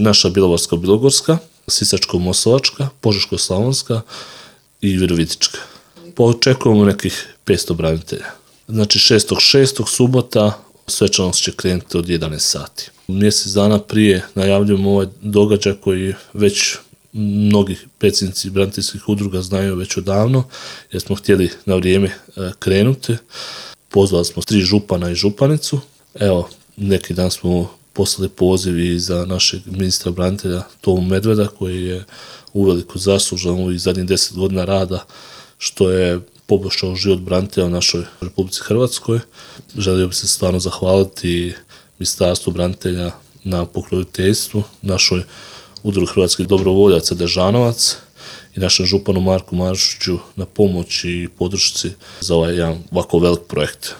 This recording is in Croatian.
Naša Bjelovarsko-bilogorska, Sisačko-moslavačka, Požeško-slavonska i Virovitička. Očekujemo nekih 500 branitelja. Znači 6.6. subota svečanost će krenuti od 11 sati. Mjesec dana prije najavljujemo ovaj događaj koji već mnogi predsjednici braniteljskih udruga znaju već odavno, jer smo htjeli na vrijeme krenuti. Pozvali smo 3 župana i županicu. Evo, neki dan smo poslali poziv i za našeg ministra branitelja Tomu Medveda, koji je uveliko zaslužan u zadnjih 10 godina rada, što je poboljšao život branitelja u našoj Republici Hrvatskoj. Želio bih se stvarno zahvaliti Ministarstvu branitelja na pokroviteljstvu, našoj udruzi hrvatskih dobrovoljaca Dežanovac i našem županu Marku Marušiću na pomoći i podršci za ovaj jedan ovako velik projekt.